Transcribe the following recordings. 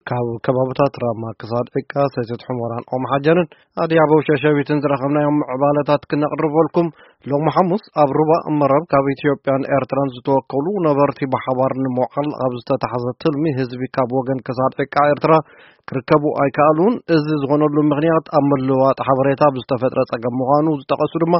ካብ ከባብታት ራማ ክሳድ ዕቃ፣ ሰቲት ሑመራን ኦም ሓጀርን ኣድያቦ ሸሸቢትን ዝረኸብናዮም ምዕባለታት ክነቕርበልኩም። ሎሚ ሓሙስ ኣብ ሩባ መረብ ካብ ኢትዮጵያን ኤርትራን ዝተወከሉ ነበርቲ ብሓባር ንምውዓል ኣብ ዝተታሕዘ ትልሚ፣ ህዝቢ ካብ ወገን ክሳድ ዕቃ ኤርትራ ክርከቡ ኣይከኣሉን። እዚ ዝኾነሉ ምኽንያት ኣብ ምልዋጥ ሓበሬታ ብዝተፈጥረ ጸገም ምዃኑ ዝጠቐሱ ድማ፣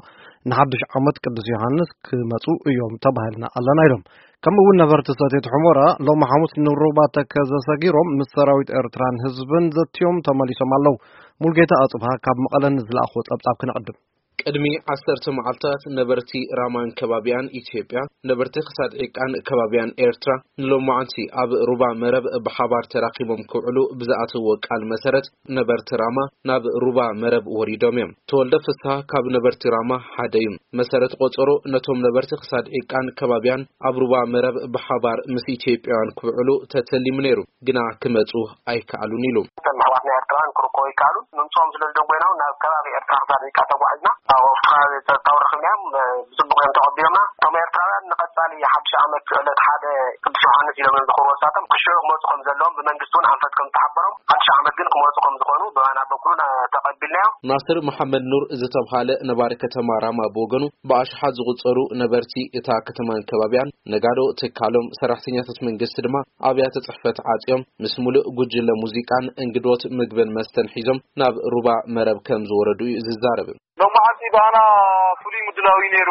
ንሓድሽ ዓመት ቅዱስ ዮሃንስ ክመጹ እዮም ተባሂልና ኣለና ኢሎም። ከምኡ እውን ነበርቲ ሰቲት ሑመራ ሎሚ ሓሙስ ንሩባ ተከዘ ሰጊሮም ምስ ሰራዊት ኤርትራን ህዝብን ዘትዮም ተመሊሶም ኣለዉ። ሙልጌታ ኣጽብሃ ካብ መቐለ ንዝለኣኽዎ ጸብጻብ ክነቕድም። ቅድሚ ዓሰርተ መዓልታት ነበርቲ ራማን ከባቢያን ኢትዮጵያ፣ ነበርቲ ክሳድ ዒቃን ከባቢያን ኤርትራ ንሎማዓንቲ ኣብ ሩባ መረብ ብሓባር ተራኺቦም ክውዕሉ ብዝኣተዎ ቃል መሰረት፣ ነበርቲ ራማ ናብ ሩባ መረብ ወሪዶም እዮም። ተወልደ ፍስሃ ካብ ነበርቲ ራማ ሓደ እዩ። መሰረት ቆጸሮ ነቶም ነበርቲ ክሳድ ዒቃን ከባቢያን ኣብ ሩባ መረብ ብሓባር ምስ ኢትዮጵያውያን ክውዕሉ ተተሊሙ ነይሩ፣ ግና ክመጹ ኣይከኣሉን ኢሉ። እቶም ኣሕዋትና ኤርትራውያን ክርከቡ ኣይከኣሉን። ምምጽኦም ስለ ዝደንጎይና እውን ናብ ከባቢ ኤርትራ ክሳድ ዒቃ ተጓዒዝና። ኣብ ኣብቲ ከባቢ ጸጥታውን ረኺብናዮም፣ እ፣ ብጽቡቕ እዮም ተቐቢሎምና። እቶም ኤርትራውያን ንቐጻሊ ሓድሽ ዓመት ዕለት ሓደ ቅዱስ ዮሃንስ ኢሎም እዮም ዝኽብሩ። ወሳቶም ክሽዑ ክመጹ ከም ዘለዎም ብመንግስቲ እውን ኣንፈት ከም ዝተሓበሮም፣ ሓድሽ ዓመት ግን ክመጹ ከም ዝኾኑ ብማና በኩሉ ና-፣ ተቐቢልናዮ። ናስር መሓመድ ኑር ዝተብሃለ ነባሪ ከተማ ራማ ብወገኑ፣ ብኣሽሓት ዝቑጸሩ ነበርቲ እታ ከተማን ከባቢያን፣ ነጋዶ፣ ትካሎም፣ ሰራሕተኛታት መንግስቲ ድማ ኣብያተ ጽሕፈት ዓጽዮም ምስ ሙሉእ ጉጅለ ሙዚቃን እንግዶት ምግብን መስተን ሒዞም ናብ ሩባ መረብ ከም ዝወረዱ እዩ ዝዛረብ። ሎማዓንቲ ብኣና ፍሉይ ምድላው እዩ ነይሩ።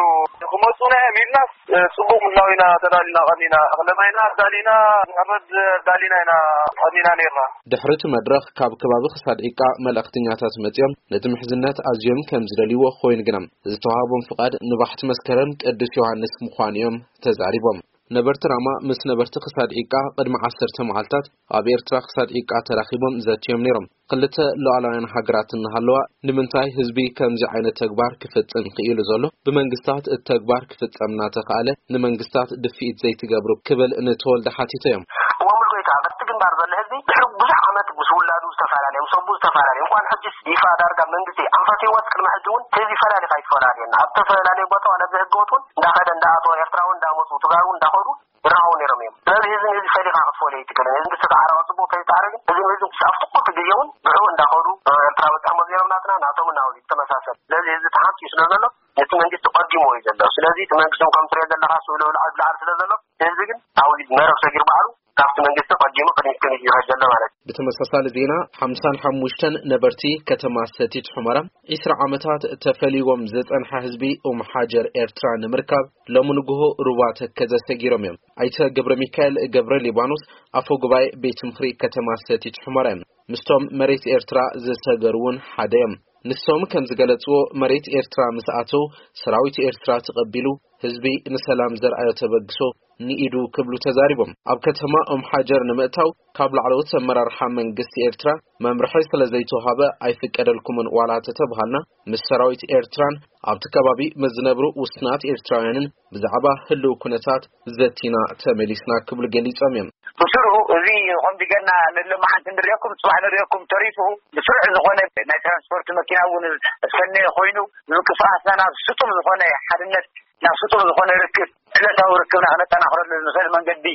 ክመጹና እዮም ኢልናስ፣ እ፣ ጽቡቕ ምድላው ኢና ተዳሊና ቀኒና። እኽለ ማይና ኣዳሊና፣ ንሕረድ ኣዳሊና ኢና ቀኒና ነይርና። ድሕሪ እቲ መድረኽ ካብ ከባቢ ክሳድ ዒቃ መልእኽተኛታት መጺኦም ነቲ ምሕዝነት ኣዝዮም ከም ዝደልይዎ ኮይኑ ግና ዝተዋህቦም ፍቓድ ንባሕቲ መስከረም ቅዱስ ዮሃንስ ምዃኑ እዮም ተዛሪቦም። ነበርቲ ራማ ምስ ነበርቲ ክሳድ ዒቃ ቅድሚ ዓሰርተ መዓልታት ኣብ ኤርትራ ክሳድ ዒቃ ተራኺቦም ዘትዮም ነይሮም። ክልተ ሉዓላውያን ሃገራት እናሃለዋ ንምንታይ ህዝቢ ከምዚ ዓይነት ተግባር ክፍጽም ክኢሉ ዘሎ? ብመንግስታት እቲ ተግባር ክፍጸም እናተኻእለ ንመንግስታት ድፍኢት ዘይትገብሩ ክብል ንተወልደ ሓቲቶ እዮም። እሞ ሙሉጌታ፣ ኣብቲ ግንባር ዘሎ ህዝቢ ድሕሪ ብዙሕ ዓመት ምስ ውላዱ ዝተፈላለየ፣ ምስ ኣቦኡ ዝተፈላለየ፣ እንኳን ሕጂስ ይፋ ዳርጋ መንግስቲ ኣንፈትዎ ቅድሚ ሕጂ እውን ህዝቢ ፈላሊኻ ኣይትፈላለየና። ኣብ ዝተፈላለየ ቦታ ዋላ ብህገወጥ እውን እንዳኸደ እንዳኣተወ ኤርትራ እውን እንዳመፁ ትግራይ እውን እንዳኸዱ ይራኸቡ ነይሮም እዮም። ስለዚ ህዝቢ ህዝቢ ፈሊኻ ክትፈልዮ ኣይትክእልን። ህዝቢ ዝተዓረቐ ፅቡቅ ተይተዓረ ግን ህዝቢ ህዝቢ ክሳብ ትኩል ግዜ እውን ብዕኡ እንዳኸዱ ኤርትራ በፂሖም ነይሮም ናትና ናቶም እናወዚ ተመሳሰል። ስለዚ ህዝቢ ተሓምፂ ስለ ዘሎ ነቲ መንግስቲ ቀዲሞ እዩ ዘሎ። ስለዚ እቲ መንግስቲ ከም ትሪኦ ዘለኻ ስእሉ ላዕሊ ላዕሊ ስለ ዘሎ ህዝቢ ግን ኣብዚ መረብ ሰጊሩ ባዕሉ ካብቲ መንግስቲ ቀዲሙ ቅድሚት ቅድሚት ይኸድ ዘሎ ማለት እዩ። ብተመሳሳሊ ዜና ሓምሳን ሓሙሽተን ነበርቲ ከተማ ሰቲት ሑመራ ዒስራ ዓመታት ተፈሊዎም ዝጸንሐ ህዝቢ ኡም ሓጀር ኤርትራ ንምርካብ ሎሚ ንግሆ ሩባ ተከዘ ሰጊሮም እዮም። ኣይተ ገብረ ሚካኤል ገብረ ሊባኖስ ኣፈ ጉባኤ ቤት ምኽሪ ከተማ ሰቲት ሑመራ እዮም። ምስቶም መሬት ኤርትራ ዝሰገሩ እውን ሓደ እዮም። ንሶም ከም ዝገለጽዎ መሬት ኤርትራ ምስ ኣተው ሰራዊት ኤርትራ ተቐቢሉ ህዝቢ ንሰላም ዘርኣዮ ተበግሶ ንኢዱ ክብሉ ተዛሪቦም። ኣብ ከተማ ኦም ሓጀር ንምእታው ካብ ላዕለዎት ኣመራርሓ መንግስቲ ኤርትራ መምርሒ ስለ ዘይተዋሃበ ኣይፍቀደልኩምን ዋላ ተተብሃልና ምስ ሰራዊት ኤርትራን ኣብቲ ከባቢ ምስ ዝነብሩ ውስናት ኤርትራውያንን ብዛዕባ ህልው ኩነታት ዘቲና ተመሊስና ክብሉ ገሊጾም እዮም። ብስሩ እዚ ከምዚ ገና ንሎማዓንቲ ንሪኦኩም፣ ጽባሕ ንሪኦኩም ተሪፉ ብስሩዕ ዝኾነ ናይ ትራንስፖርት መኪና እውን ዝፈነየ ኮይኑ ምንቅስቃስና ናብ ስጡም ዝኾነ ሓድነት፣ ናብ ስጡም ዝኾነ ርክብ፣ ዕለታዊ ርክብና ክነጠናኽረሉ ንኽእል መንገዲ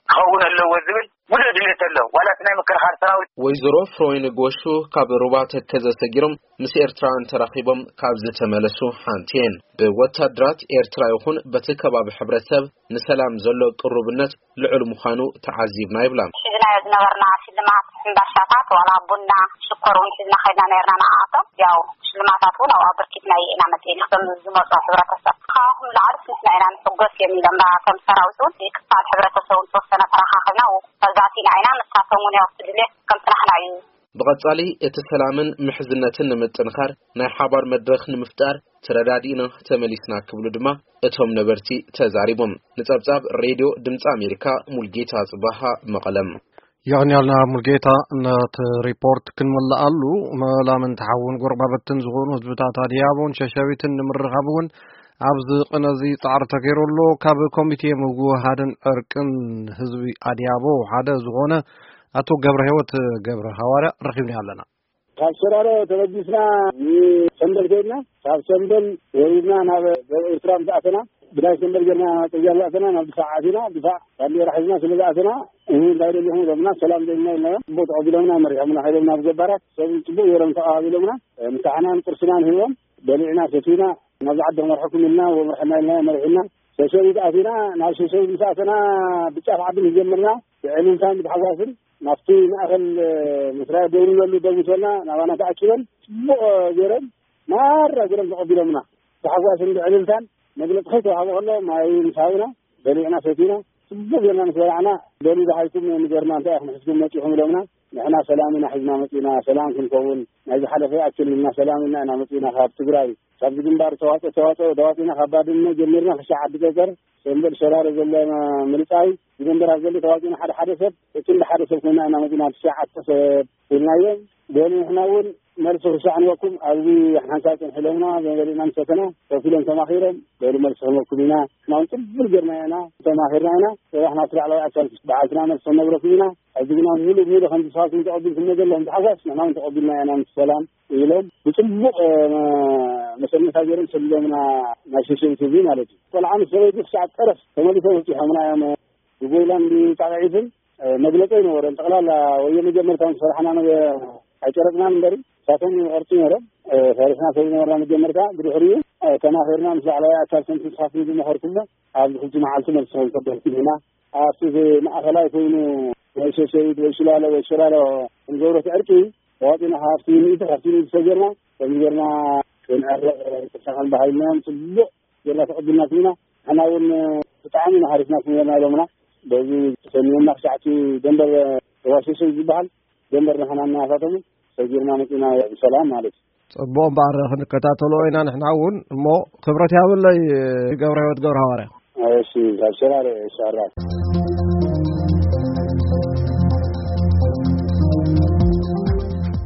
ክኸውን ኣለዎ ዝብል ሙሉእ ድሌት ኣሎ። ዋላ እቲ ናይ ምክልኻል ሰራዊት። ወይዘሮ ፍሮይን ጎሹ ካብ ሩባ ተከዘ ሰጊሮም ምስ ኤርትራውያን ተራኺቦም ካብ ዝተመለሱ ሓንቲ እየን። ብወታደራት ኤርትራ ይኹን በቲ ከባቢ ሕብረተሰብ ንሰላም ዘሎ ቅሩብነት ልዑል ምዃኑ ተዓዚብና ይብላ። ሒዝናዮ ዝነበርና ሽልማት ሕምባሻታት ዋላ ቡና ሽኮር እውን ሒዝና ከይድና ነርና ንዓኣቶም። ያው ሽልማታት እውን ኣብኡ ኣበርኪትና ኢና መፂእና። ከም ዝመፁ ሕብረተሰብ ካብኹም ላዕሊ ንሕና ኢና ንሕጎስ እዮም ኢሎም ከም ሰራዊት እውን ክፋል ሕብረተሰብ እውን ተወሰነ ተረኻኺብና መግዛእቲ ኢና ኢና ንሳቶም እውን ያው ድሌት ከም ፅናሕና እዩ። ብቐጻሊ እቲ ሰላምን ምሕዝነትን ንምጥንኻር ናይ ሓባር መድረኽ ንምፍጣር ተረዳዲእና ተመሊስና ክብሉ ድማ እቶም ነበርቲ ተዛሪቦም። ንጸብጻብ ሬድዮ ድምጺ ኣሜሪካ ሙልጌታ ጽባሃ መቐለም። የቕንያልና ሙልጌታ። ነቲ ሪፖርት ክንምልኣሉ መላምን ተሓውን ጎረባብትን ዝኾኑ ህዝብታት ኣድያቦን ሸሸቢትን ንምርኻብ እውን ኣብዚ ቅነ እዚ ጻዕሪ ተገይሩ ኣሎ። ካብ ኮሚቴ ምውህሃድን ዕርቅን ህዝቢ ኣድያቦ ሓደ ዝኾነ ኣቶ ገብረ ህይወት ገብረ ሃዋርያ ረኺብና ኣለና። ካብ ሸራሮ ተበጊስና ንሰንበል ከይድና፣ ካብ ሰንበል ወሪድና ናብ ደቡብ ኤርትራ ምስ ኣተና፣ ብዳይ ሰንበር ጌርና ጽርግያ ዝኣተና ናብ ድፋዕ ኣቲና፣ ድፋዕ ባንዴራ ሒዝና ስለ ዝኣተና፣ እህ፣ እንታይ ደሊኹም ኢሎምና፣ ሰላም ደሊና ኢልናዮም። ጽቡቅ ተቐቢሎምና፣ መሪሖምና ከይዶም ናብ ገባራት፣ ሰብ ጽቡቅ ገይሮም ተቐባቢሎምና። ምሳሕናን ቁርስናን ሂቦም፣ በሊዕና ሰቲና፣ ናብዚ ዓዲ ክመርሐኩም ኢልና፣ ወመርሐና ኢልና፣ መሪሑና። ሸሸቢት ኣቲና፣ ናብ ሸሸቢት ምስ ኣተና፣ ብጫፍ ዓዲ ምስ ጀመርና፣ ብዕልልታን ብታሕጓስን ናብቲ ማእከል፣ እ፣ መስርያ ደው ንብለሉ ደው ምስ በልና፣ ናባና ተኣኪበን፣ ጽቡቕ ገይረን፣ ማራ ገይሮም ተቐቢሎምና። ብታሕጓስን ብዕልልታን መግለጺ ከይተዋህበ ከሎ፣ ማይ ምስ ሃቡና፣ በሊዕና ሰቲና፣ ጽቡቕ ጌርና ምስ በላዕና፣ በሉ ደሃይኩም ንገርና፣ እንታይ ኢኹም ሒዝኩም መጺኹም ኢሎምና። ንሕና ሰላም ኢና ሒዝና መጺና፣ ሰላም ክንከውን፣ ናይ ዝሓለፈ ይኣክል ኢልና፣ ሰላም ኢልና ኢና መጺና ካብ ትግራይ። ካብዚ ግንባር ተዋጽኦ፣ ተዋጽኦ፣ ተዋጺና ካብ ባድመ ጀሚርና ክሻዕ ዓዲ ጸጸር፣ ሰምበል ሸራሮ ዘሎ ምልጻይ፣ እዚ ግንባራት ዘሎ ተዋጺና ሓደ ሓደ ሰብ፣ እቲ እንደ ሓደ ሰብ ኮይና ኢና መጺና፣ ትሽዓተ ሰብ ኢልናዮም። በሉ ንሕና እውን መልሲ ክሻዕ ንበኩም፣ ኣብዚ ሓንሳብ ጽንሕ ኢሎምና፣ በሊዕና ምስ ሰተና፣ ኮፍ ኢሎም ተማኺሮም፣ በሉ መልሲ ክንበኩም ኢና፣ ንሕና እውን ጽቡቅ ጌርና ኢና፣ ተማኺርና ኢና፣ ጽባሕ ናብቲ ላዕለዋይ ኣካል በዓልትና መልሲ ክንነግረኩም ኢና። ሕጂ ግና ምሉእ ብምሉእ ከምዚ ንስኻትኩም ተቐቢልኩሞ ዘለኹም ተሓሳስ ንሕና እውን ተቐቢልና ኢና ምስ ሰላም ኢሎም ብጽቡቕ፣ እ፣ መሰነታ ገይሮም ሰሊሎምና ናብ ሸሸቢት ህዝቢ ማለት እዩ። ቆልዓ ምስ ሰበይቲ ክሳዕ ጠረፍ ተመሊሶም ኣብጺሖምና እዮም። ብጎይላን ብጣቕዒትን፣ እ፣ መግለጺ ኣይነበረን። ጠቕላላ ወዮ መጀመርታ ምስ ፈርሕና ነገ ኣይጨረጥናን እምበሪ ንሳቶም ይቐርጹ ነይሮም። እ፣ ፈሪሕና ስለ ዝነበርና መጀመርታ ብድሕሪኡ፣ እ፣ ተማኺርና ምስ ላዕለዋይ ኣካል ከምቲ ንስኻትኩም ዝመኸርኩሞ ኣብዚ ሕጂ መዓልቲ መልሲ ክንሰደልኩም ኢና። ኣብቲ ማእኸላይ ኮይኑ ወይ ሸሸቢት ወይ ሽላሎ ወይ ሽላሎ ክንገብሮ እቲ ዕርቂ ተዋፂና ካብቲ ሚእቲ ካብቲ ሚእቲ ሰጊርና ከምዚ ጌርና ክንዕረቕ ተሳኸን ባህልና እዮም። ፅቡቕ ጌርና ተቐቢልናኩም ኢና። ንሕና እውን ብጣዕሚ ኢና ሓሪፍናኩም ጌርና ኢሎምና። በዚ ተሰኒዮምና ክሳዕቲ ደንበር ተዋሸሸ ዝበሃል ደንበር ንሕና እናሳተሙ ሰጊርና መፂና ብሰላም ማለት እዩ። ጽቡቕ እምበኣር ክንከታተሎ ኢና ንሕና እውን። እሞ ክብረት ያብለይ ገብረ ህይወት ገብረ ሃዋርያ። እሺ፣ ካብ ሸራሮ እየ፣ ሻራ።